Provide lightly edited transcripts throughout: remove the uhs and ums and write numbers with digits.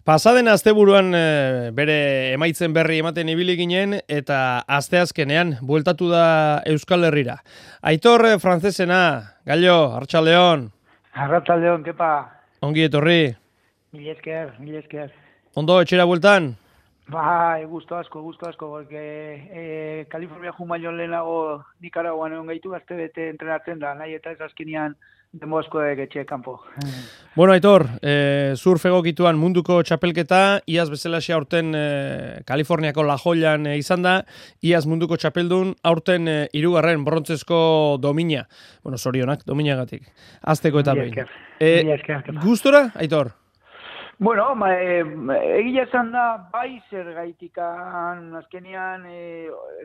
Pasaden asteburuan bere emaitzen berri ematen ibili ginen eta asteazkenean bueltatu da Euskal Herrira. Aitor frantzesena, Gallo, Arratsaldeon. Arratsaldeon, kepa. Ongi etorri. Mil esker. Ondo etxera bueltan? Bai, gusto asko, porque California jumailo lehenago Nicaraguan egon gaitu, aste bete entrenatzen da, nahi eta ez azkenean demo asko etxe kanpo. Bueno, Aitor, surf egokituan munduko txapelketa, iaz bezalaxe aurten Kaliforniako La Joyan izan da, iaz munduko txapeldun, aurten hirugarren brontzezko domina. Bueno, sorionak, dominagatik. Azteko eta behin. Gustora, Aitor? Bueno, egia esan da, bai zer gaitikan, azkenean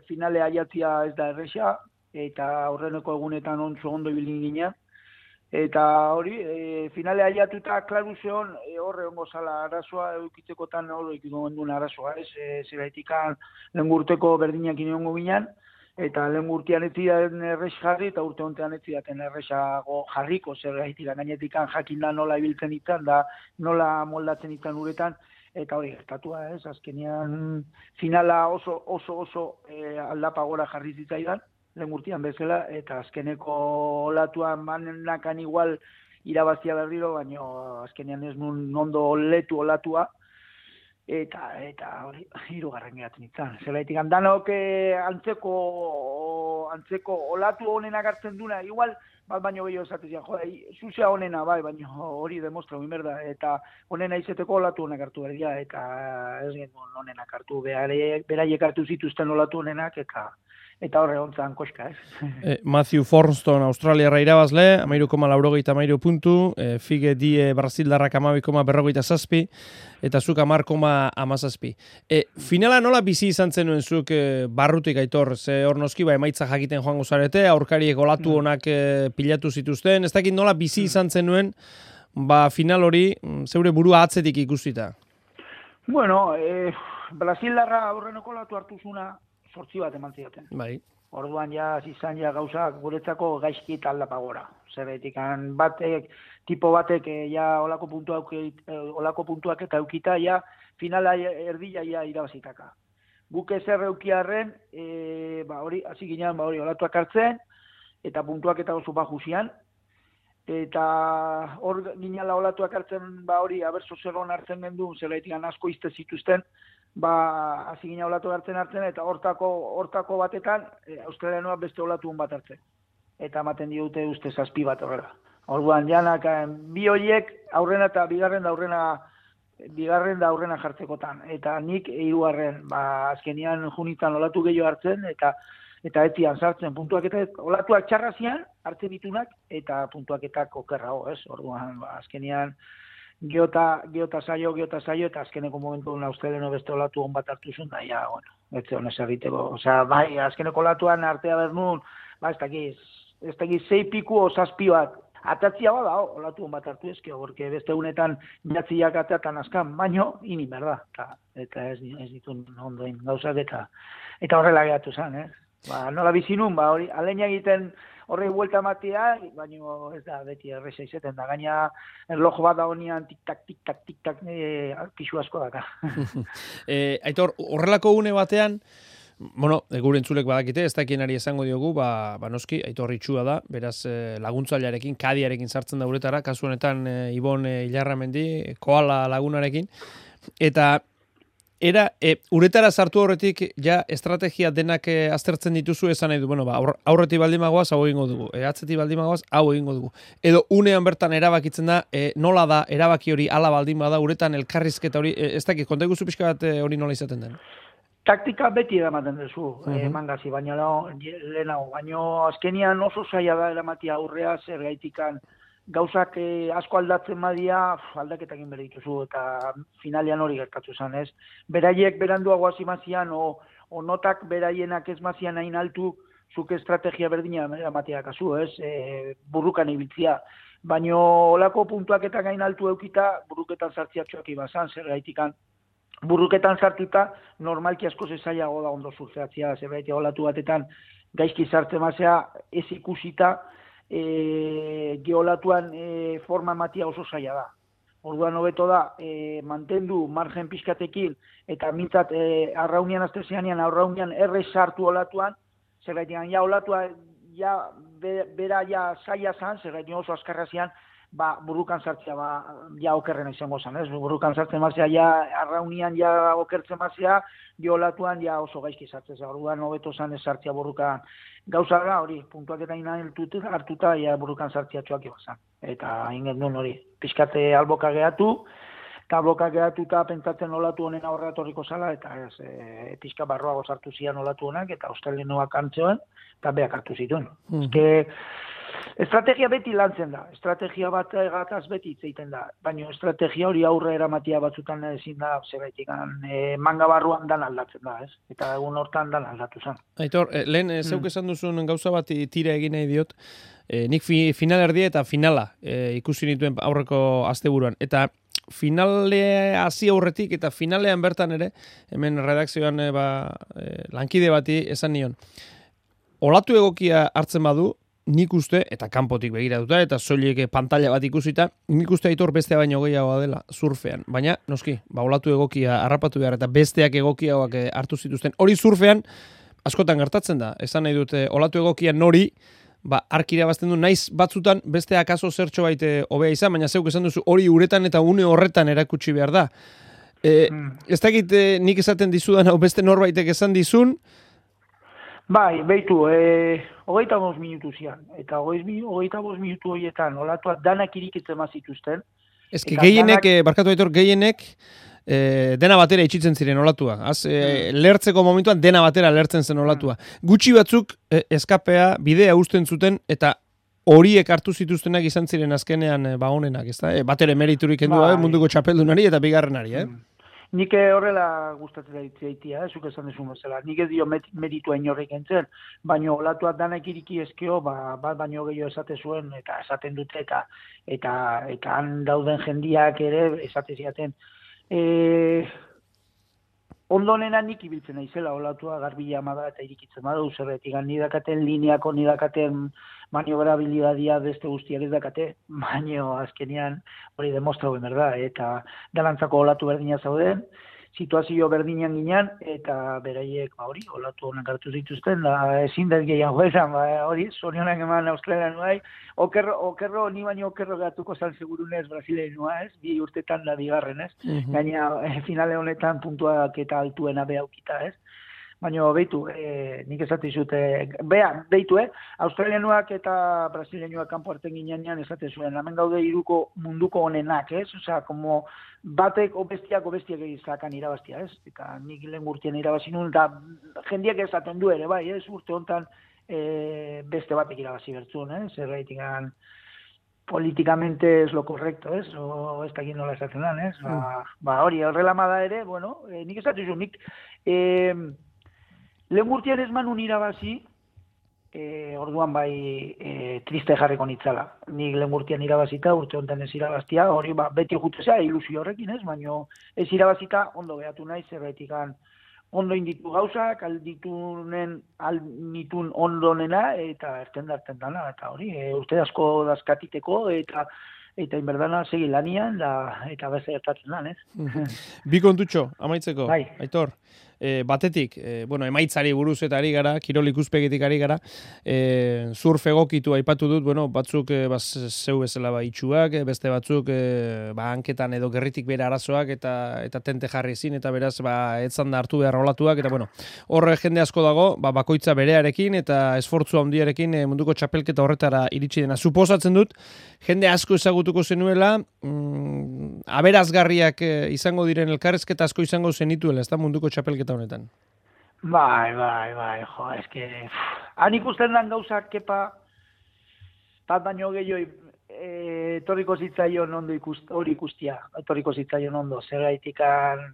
finale aiatzia ez da erresa, eta aurreneko egunetan ondo ibilin ginen. Eta hori, finale aiatuta, klaru zeon, horre ongo zala arazoa, eukitzekotan hori ikiko gendun arazoa, ez? Zeraitikan lehen urteko berdinak inongo ginen, eta lehen urtean ez zidaten errex jarri, eta urte hontean ez zidaten errexago jarriko, zeraitikan gainetikan jakin da nola ibiltzen ditan, da nola moldatzen ditan uretan, eta hori gertatua, ez? Azkenean finala oso aldapa gora jarri zitzaidan, lehen urtean bezala, eta azkeneko olatuan manenakan igual irabazia berriro, baina azkenean ez nun ondo letu olatua, eta hori, hirugarren geratzen izan. Zeraitik, danok antzeko olatu honenak hartzen duna, igual, bat baino gehiago esatezian, zuzea honena, bai, baina hori demostra, merda, eta honena izeteko olatu honak hartu berdia, eta ez genuen honenak hartu, beraiek hartu zituzten olatu honenak, eta horre hontzan koska, ez? Matthew Forston, Australiarra irabazle, 13,83 puntu, Fige Die Brasildarrak 12,47, eta zuk 10,17. Finala nola bizi izan zenuen zuk barrutik, Aitor? Ze hor noski emaitza jakiten joango zarete, aurkariek olatu honak pilatu zituzten, ez dakit nola bizi izan zenuen, final hori zeure burua atzetik ikusita. Bueno, Brasildarra aurreneko olatu hartu zuna, 8 bat eman zidaten. Bai. Orduan izan gauzak guretzako gaizki eta aldapa gora. Zerretik, tipo batek olako puntuak eta eukita, finala erdila irabazitaka. Guk ezer eukiarren, hori, hasi ginean, olatuak hartzen, eta puntuak eta oso bajuzian, eta hor ginala olatuak hartzen, hori, abertzo zerron hartzen gendu, zerretik asko izte zituzten, hasi gina olatu hartzen, eta hortako batetan, australianoa beste olatu bat hartzen. Eta ematen diote uste 7 bat horrela. Orduan, janak, bi horiek aurrena eta bigarren da aurrena jartzekotan. Eta nik hirugarren, azkenian junitan olatu gehiago hartzen, eta etian sartzen puntuaketak, olatuak txarrazian, hartzen ditunak, eta puntuaketak okerrago, ez? Orduan, azkenian, Geota saio, eta azkeneko momentu australiano beste olatu hon bat hartu zuen, da, ez honez egiteko. Osea, bai, azkeneko olatuan artea bernun, ez dakiz 6 piku o 7 bat. Atatzia bada, olatu hon bat hartu ezkio, porque beste unetan jatziak ateatan azkan, baino, ini berda. Eta ez ditun ondoen gauzak, eta horrela geratu zen, nola bizinun, hori, aleina egiten, horrei buelta matea, baina ez da beti erresa izeten da. Gaina erlojo bat da honian tik-tak, pixu asko daka. Aitor, horrelako une batean, gure entzulek badakite, ez dakienari esango diogu, noski, Aitor itxua da, beraz laguntzailearekin, kadiarekin sartzen da uretara, kasu honetan Ibon Ilarramendi, koala lagunarekin, eta uretara sartu horretik, estrategia denak aztertzen dituzu esan nahi du, aurretik baldimagoaz, hau egingo dugu, atzetik baldimagoaz, hau egingo dugu. Edo unean bertan erabakitzen da, nola da, erabaki hori ala baldin bada, uretan elkarrizketa hori, ez dakit, konta iguzu pixka bat hori nola izaten den? Taktika beti eramaten duzu, mangazi, baina lehenago, baina azkenian oso zaila da eramatia aurrea, zer gaitikan, gauzak asko aldatzen badia, aldaketakin bere dituzu, eta finalean hori gertatu zen, ez? Beraiek beranduago hasi mazian, o notak beraienak ez mazian hain altu, zuk estrategia berdina eramatea kasu, ez? Burrukan ibiltzia. Baina olako puntuaketak hain altu eukita, burruketan sartziatxoak ibazan, zer gaitikan. Burruketan sartuta, normalki asko zezaiago da ondo surfeatzia, zer gaiti olatu batetan, gaizki sartzen mazea, ez ikusita, geolatuan forma matia oso zaila da. Orduan hobeto da, mantendu margen pixkatekin, eta mintzat arraunian aztezeanian, arraunian errez sartu olatuan, zergaitik, ja olatua, ja, bera ja saia zan, zergaitik oso azkarra zian, burukan sartzea, ja okerrena izango zen, ez? Burukan sartzen mazia, ja arraunian ja okertzen mazia, jo olatuan ja oso gaizki sartzea, orduan hobeto zan ez sartzea burukan. Gauza da, hori, puntuak eta hartuta, ja burukan sartzea txoak ibazan. Eta ingen duen hori, pixkate alboka gehatu, eta alboka gehatu eta pentsatzen olatu honen aurra etorriko zala, eta pixka barroago sartu zian olatu honak, eta australianoak antzeoen, eta beak hartu zituen. Estrategia beti lantzen da, estrategia bat gataz beti itzeiten da, baina estrategia hori aurre eramatia batzutan ezin da, zebaitik, manga barruan dan aldatzen da, ez? Eta egun hortan dan aldatu zen. Aitor, lehen zeuk esan duzun gauza bat tira egin nahi diot, nik final erdia eta finala ikusi nituen aurreko asteburuan, eta finale hasi aurretik eta finalean bertan ere, hemen redakzioan lankide bati esan nion, olatu egokia hartzen badu, nik uste, eta kanpotik begiratuta, eta soilik pantalla bat ikusita, nik uste Aitor bestea baino gehiagoa dela surfean. Baina, noski, olatu egokia harrapatu behar, eta besteak egokiagoak hartu zituzten. Hori surfean, askotan gertatzen da. Esan nahi dute, olatu egokia nori, arkira bazten du, naiz batzutan besteak aso zertxo baite hobea izan, baina zeuk esan duzu, hori uretan eta une horretan erakutsi behar da. Ez dakit nik esaten dizudan, hau beste norbaitek esan dizun, Bai, behitu, 25 minutu zian, eta 25 minutu horietan olatuak danak irikitzen mazituzten. Ez que gehienek, barkatu Aitor, gehienek dena batera itxitzen ziren olatua. Lertzeko momentuan dena batera lertzen zen olatua. Gutxi batzuk eskapea, bidea usten zuten, eta horiek hartu zituztenak izan ziren azkenean honenak, ez da? Batere meriturik kendu gabe munduko txapeldunari eta bigarrenari, Nik horrela gustatzen daitzea, zuk esan desun bezala. Nik ez dio meritua inorrek entzen, baina olatuak danak iriki ezkeo, bat baino gehiago esate zuen, eta esaten dute, eta han dauden jendiak ere esate ziaten. Ondonena nik ibiltzen naizela olatua garbila amada eta irikitzen badu, zerretik nidakaten lineako, nidakaten maniobrabilidadia beste guztiak ez dakate, baino azkenean hori demostrau berda, eta dalantzako olatu berdina zauden, situazio berdinan ginen, eta beraiek hori, olatu honak hartu zituzten, da ezin dut gehiago esan, hori, zorionak eman Australian nuai, okerro, ni baino okerro gatuko zan segurunez Brasilean nua, ez, 2 urtetan da bigarren, ez, gaina finale honetan puntuak eta altuena behaukita, ez, baina behitu, nik esate zute, behitu, Australianuak eta Brasileanuak kanpo hartzen ginean esate zuen, hemen gaude iruko munduko honenak, ez? Osea, como batek obestiak izakan irabaztia, ez? Eta nik lehen urtean irabazi nuen, eta jendiak esaten du ere, bai, ez? Urte honetan beste batek irabazi bertzun, ez? Zerraitikan políticamente es lo correcto, ez? O ez dakit nola esaten dan, ez? Hori, horrela da ere, bueno, nik esate zuen, nik lehen urtean ez manun irabazi, orduan bai triste jarriko nitzala. Nik lehen urtean irabazita, urte honetan ez irabaztia, hori beti jutezea ilusio horrekin ez, baina ez irabazita ondo behatu nahi, zerbetikan ondo inditu gauzak, alditun ondonena, eta erten dana, eta hori, urte asko dazkatiteko, eta inberdana segi lanian, eta beste gertatzen dan, ez? Bi kontutxo, amaitzeko, bai. Aitor. Batetik, emaitzari buruz eta ari gara, kirol ikuspegitik ari gara, surf egokitu aipatu dut, batzuk zeu bezala itxuak, beste batzuk hanketan edo gerritik bere arazoak eta tente jarri zin, eta beraz etzan da hartu behar rolatuak, eta hor jende asko dago, bakoitza berearekin eta esfortzu handiarekin munduko txapelketa horretara iritsi dena. Suposatzen dut, jende asko ezagutuko zenuela, aberazgarriak izango diren elkarrezketa asko izango zenituela, ez da munduko txapelketa honetan. Bai, jo, eske... Han ikusten dan gauzak, kepa, bat baino gehioi, etorriko zitzaion ondo hori ikustia, etorriko zitzaion ondo, zergaitikan...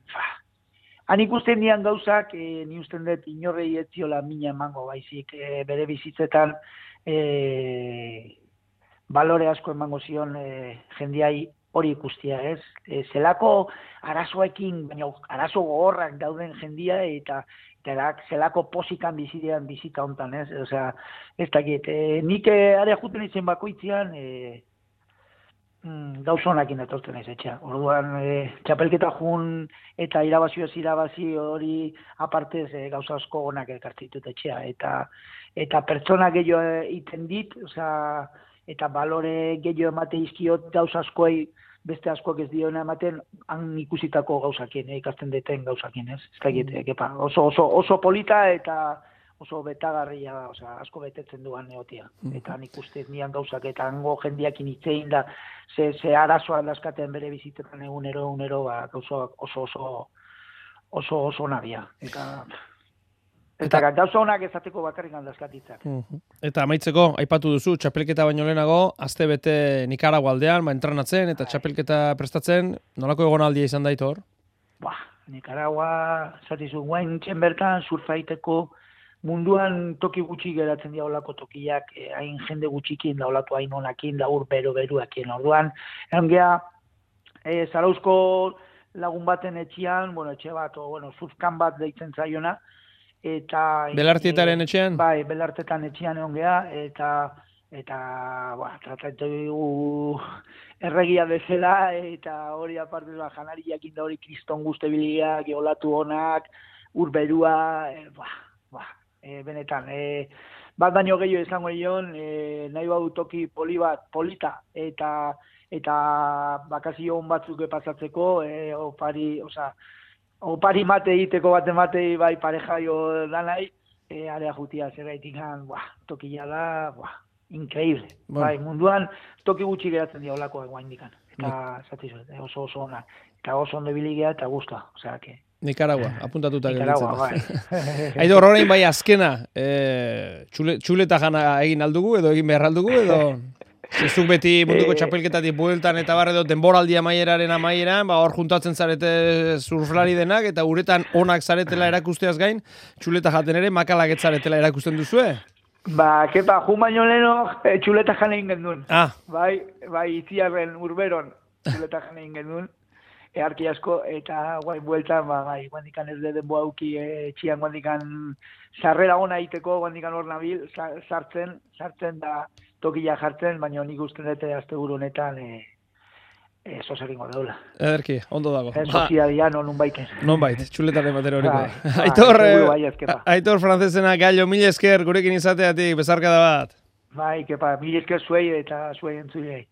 Han ikusten dian gauzak, ni usten dut inorrei etziola mina emango, baizik, bere bizitzetan balore asko emango zion jendiai hori ikustia, ez? Zelako arazoekin, baina arazo gogorrak dauden jendia eta zelako posikan bizidean bizita hontan, ez? Osea, ez dakit, nik are juten izen bakoitzean gauzonakin etortzen ez etxea. Orduan, txapelketa jun eta irabazioaz irabazi hori apartez gauza asko onak ekartzitut etxea. Eta pertsona gehiago iten dit, eta balore gehiago emate izkiot gauza askoi, beste askoak ez diona ematen, han ikusitako gauzakin, ikasten deten gauzakin, ez? Ez da oso polita eta oso betagarria, asko betetzen duan neotia. Eta nik uste nian gauzak, eta hango jendiakin itzein da, ze arazoa daskaten bere bizitetan egunero, gauzak oso nabia. Eta gauza honak ezateko bakarrik handazkatitzak. Eta amaitzeko, aipatu duzu, txapelketa baino lehenago, aste bete Nikaragua aldean, entrenatzen, eta txapelketa prestatzen, nolako egonaldia izan da Aitor? Nikaragua, zatizu, guain txen bertan, surfaiteko, munduan toki gutxi geratzen dira olako tokiak, hain jende gutxikin da olatu hain onakin, da beruakien. Orduan, egon geha, Zarauzko lagun baten etxian, etxe bat, surfkan bat deitzen zaiona, eta... Belartietaren etxean? Bai, Belartetan etxean egon geha, eta tratatu erregia bezala, eta hori aparte janariak inda hori kriston guzti biliak, olatu honak, urberua, benetan, bat baino gehiago izango dion, nahi badu toki polita, eta bakazio hon batzuk pasatzeko, opari mate egiteko batei bai pareja jo danai, area jutia zergaitik tokila da, increíble. Bai, munduan toki gutxi geratzen dira olakoak guaindikan. Eta oso ona. Eta oso ondo biligea eta guztua. Nikaragua, apuntatuta gelditzen da. Aitor, orain bai azkena, txuleta jana egin aldugu, edo egin behar aldugu, edo zezuk beti munduko txapelketatik bueltan eta edo denboraldi amaieraren amaieran, hor juntatzen zarete surflari denak, eta uretan onak zaretela erakusteaz gain, txuleta jaten ere makalak zaretela erakusten duzue? Kepa, jun baino leheno txuleta jane egin gendun. Bai, itziarren urberon txuleta jane egin gendun. Earki asko, eta bueltan, guandikan ez denbo auki etxian guandikan sarrera ona egiteko, guandikan hor nabil, sartzen da tokila jartzen, baina nik usten dute asteburu honetan zozakingo daula. Ederki, ondo dago. Soziadia non baiten. Non bait, txuletaren batero horiko. Aitor Francesena Gallo, mila esker gurekin izateatik, bezarkada bat. Bai, kepa, mila esker zuei eta zuei entzulei.